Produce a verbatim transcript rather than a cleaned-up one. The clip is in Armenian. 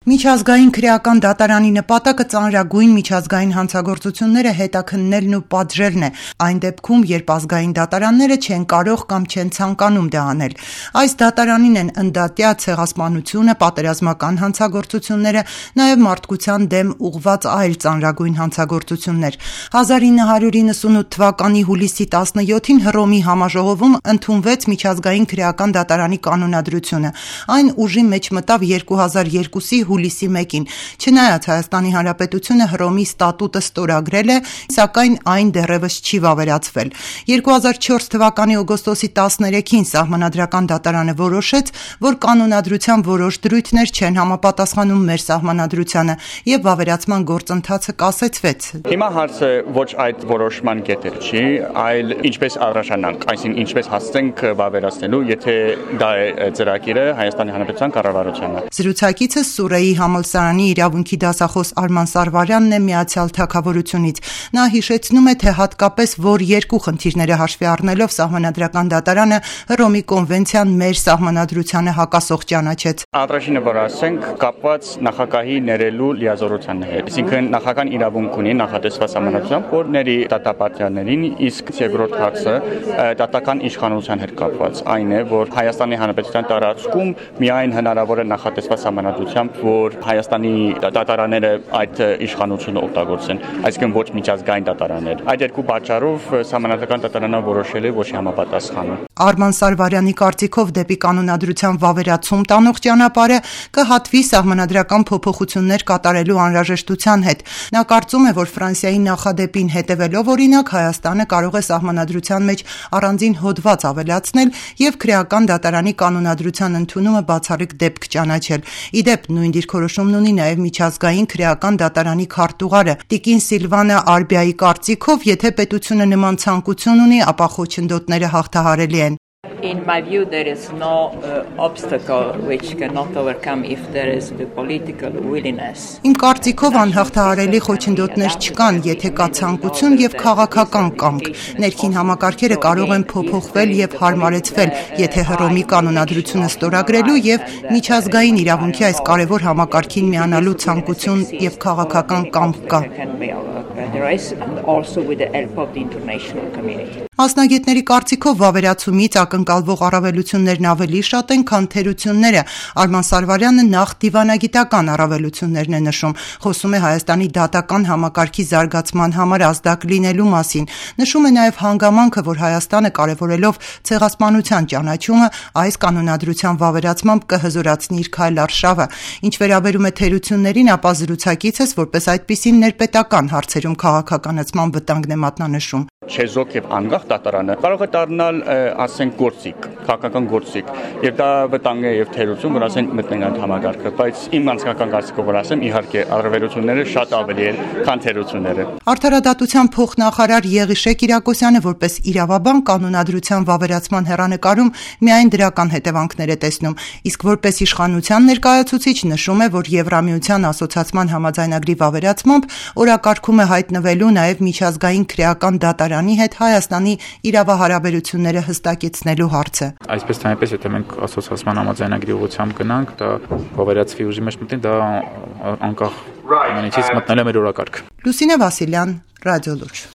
Միջազգային քրեական դատարանի նպատակը ծանրագույն միջազգային հանցագործությունները հետաքննելն ու պատժելն է, այն դեպքում, երբ ազգային դատարանները չեն կարող կամ չեն ցանկանում դա անել։ Այս դատարանին են ընդդատյա ցեղասպանությունը, պատերազմական հանցագործությունները, նաև մարդկության դեմ ուղղված այլ ծանրագույն հանցագործություններ։ հազար ինը հարյուր իննսունութ թվականի հուլիսի տասնյոթին Հռոմի համաժողովում ընդունվեց Միջազգային քրեական դատարանի կանոնադրությունը։ Այն ուժի մեջ մտավ երկու հազար երկուսի հուլիսի մեկին, չնայած Հայաստանի Հանրապետությունը Հռոմի ստատուտը ստորագրել է, սակայն այն դեռևս չի վավերացվել։ երկու հազար չորս թվականի օգոստոսի տասներեքին Սահմանադրական դատարանը որոշեց, որ կանոնադրության որոշ դրույթներ չեն համապատասխանում մեր Սահմանադրությանը եւ վավերացման գործընթացը կասեցվեց։ Հիմա հարցը ոչ այդ որոշման կետը չի, այլ ինչպես առաջանանք, այսինքն ինչպես հասցենք վավերացնելու, եթե դա է ծրագիրը Հայաստանի Հանրապետության կառավարությանը։ Զրուցակիցը Սուրեի համալսարանի իրավունքի դասախոս Արման Սարվարյանն է Միացյալ Թագավորությունից։ Նա հիշեցնում է, թե հատկապես որ երկու խնդիրները հաշվի առնելով Սահմանադրական դատարանը Հռոմի կոնվենցիան մեր Սահմանադրությանը հակասող ճանաչեց։ Առաջինը, որ ասենք, կապված նախագահի ներելու լիազորության հետ։ Այսինքն նախագահան իրավունք ունի նախատեսված Սահմանադրությամբ, որ ների դատապարտյալներին, իսկ երկրորդ հարցը դատական իշխանության հետ կապված։ Այն է, որ Հայաստանի Հանրապետության տարածքում միայն հնարավոր է նախատեսված Սահմանադրությամբ, որ Հայաստանի դատարանները այդ իշխանությունը օգտագործեն, այսինքն ոչ միջազգային դատարաններ։ Այդ երկու պատճառով Սահմանադրական դատարանը որոշել է ոչ համապատասխանում։ Արման Սարվարյանի կարծիքով դեպի կանոնադրության վավերացում տանող ճանապարհը կհատվի սահմանադրական փոփոխություններ կատարելու անհրաժեշտության հետ։ Նա կարծում է, որ Ֆրանսիայի նախադեպին հետևելով օրինակ Հայաստանը կարող է սահմանադրության մեջ առանձին հոդված ավելացնել եւ քրեական դատարանի կանոնադրության ընդունումը բացառիկ դեպք ճանաչել։ Իդեպ նույն դիրքորոշումն ունի նաև Միջազգային քրեական դատարանի քարտուղարը։ Տիկին Սիլվանա Արբիայի կարծիքով, եթե պետությունը նման ցանկություն ունի, ապա խոչընդոտները հաղթահարելի են։ In my view, there is no uh, obstacle which cannot overcome if there is the political willingness. Իմ կարծիքով անհաղթահարելի խոչընդոտներ չկան, եթե կա ցանկություն եւ քաղաքական կամք։ Ներքին համակարգերը կարող են փոփոխվել եւ հարմարեցվել, եթե Հռոմի կանոնադրությունը ստորագրելու եւ միջազգային իրավունքի այս կարևոր համակարգին միանալու ցանկություն եւ քաղաքական կամք կա։ Մասնագետների կարծիքով վավերացումից ակնկալվող առավելություններն ավելի շատ են, քան թերությունները։ Արման Սարվարյանը նախ դիվանագիտական առավելություններն է նշում, խոսում է Հայաստանի դատական համակարգի զարգացման համար ազդակ լինելու մասին։ Նշում է նաև հանգամանքը, որ Հայաստանը կարևորելով ցեղասպանության ճանաչումը, այս կանոնադրության վավերացմամբ կհզորացնի իր քայլարշավը։ Ինչ վերաբերում է թերություններին, ապա զրուցակիցս որպես այդպիսին ներպետական հարցերում քաղաքականացման վտանգն է մատնանշում։ Չեզոք եւ անգախ դատարանը կարող է դառնալ, ասենք, գործիք, քաղաքական գործիք, եւ դա վտանգ է եւ թերություն, որ ասենք մտնենք այդ համակարգը, բայց իմ անձնական կարծիքով որ ասեմ, իհարկե առավելությունները շատ ավելի են, քան թերությունները։ Արդարադատության փոխնախարար Եղիշե Կիրակոսյանը որպես իրավաբան կանոնադրության վավերացման հեռանկարում միայն դրական հետևանքներ է տեսնում, իսկ որպես իշխանության ներկայացուցիչ նշում է, որ Եվրամիության ասոցիացման համաձայնագրի վավերացմամբ օրակարգում է հայտնվելու նաև միջազգային քրեական դատարանի հետ Հայաստանի իրավահարաբերությունները հստակեցնելու հարցը։ Այսպես թե այնպես, եթե մենք ասոցիացման համաձայնագրի ուղղությամբ գնանք, դա վավերացվի ուժի մեջ մտնի, դա անկախ ամեն ինչից մտնել է մեր օրակարգ։ Լուսինե Վասիլյան, Ռադիոլուր։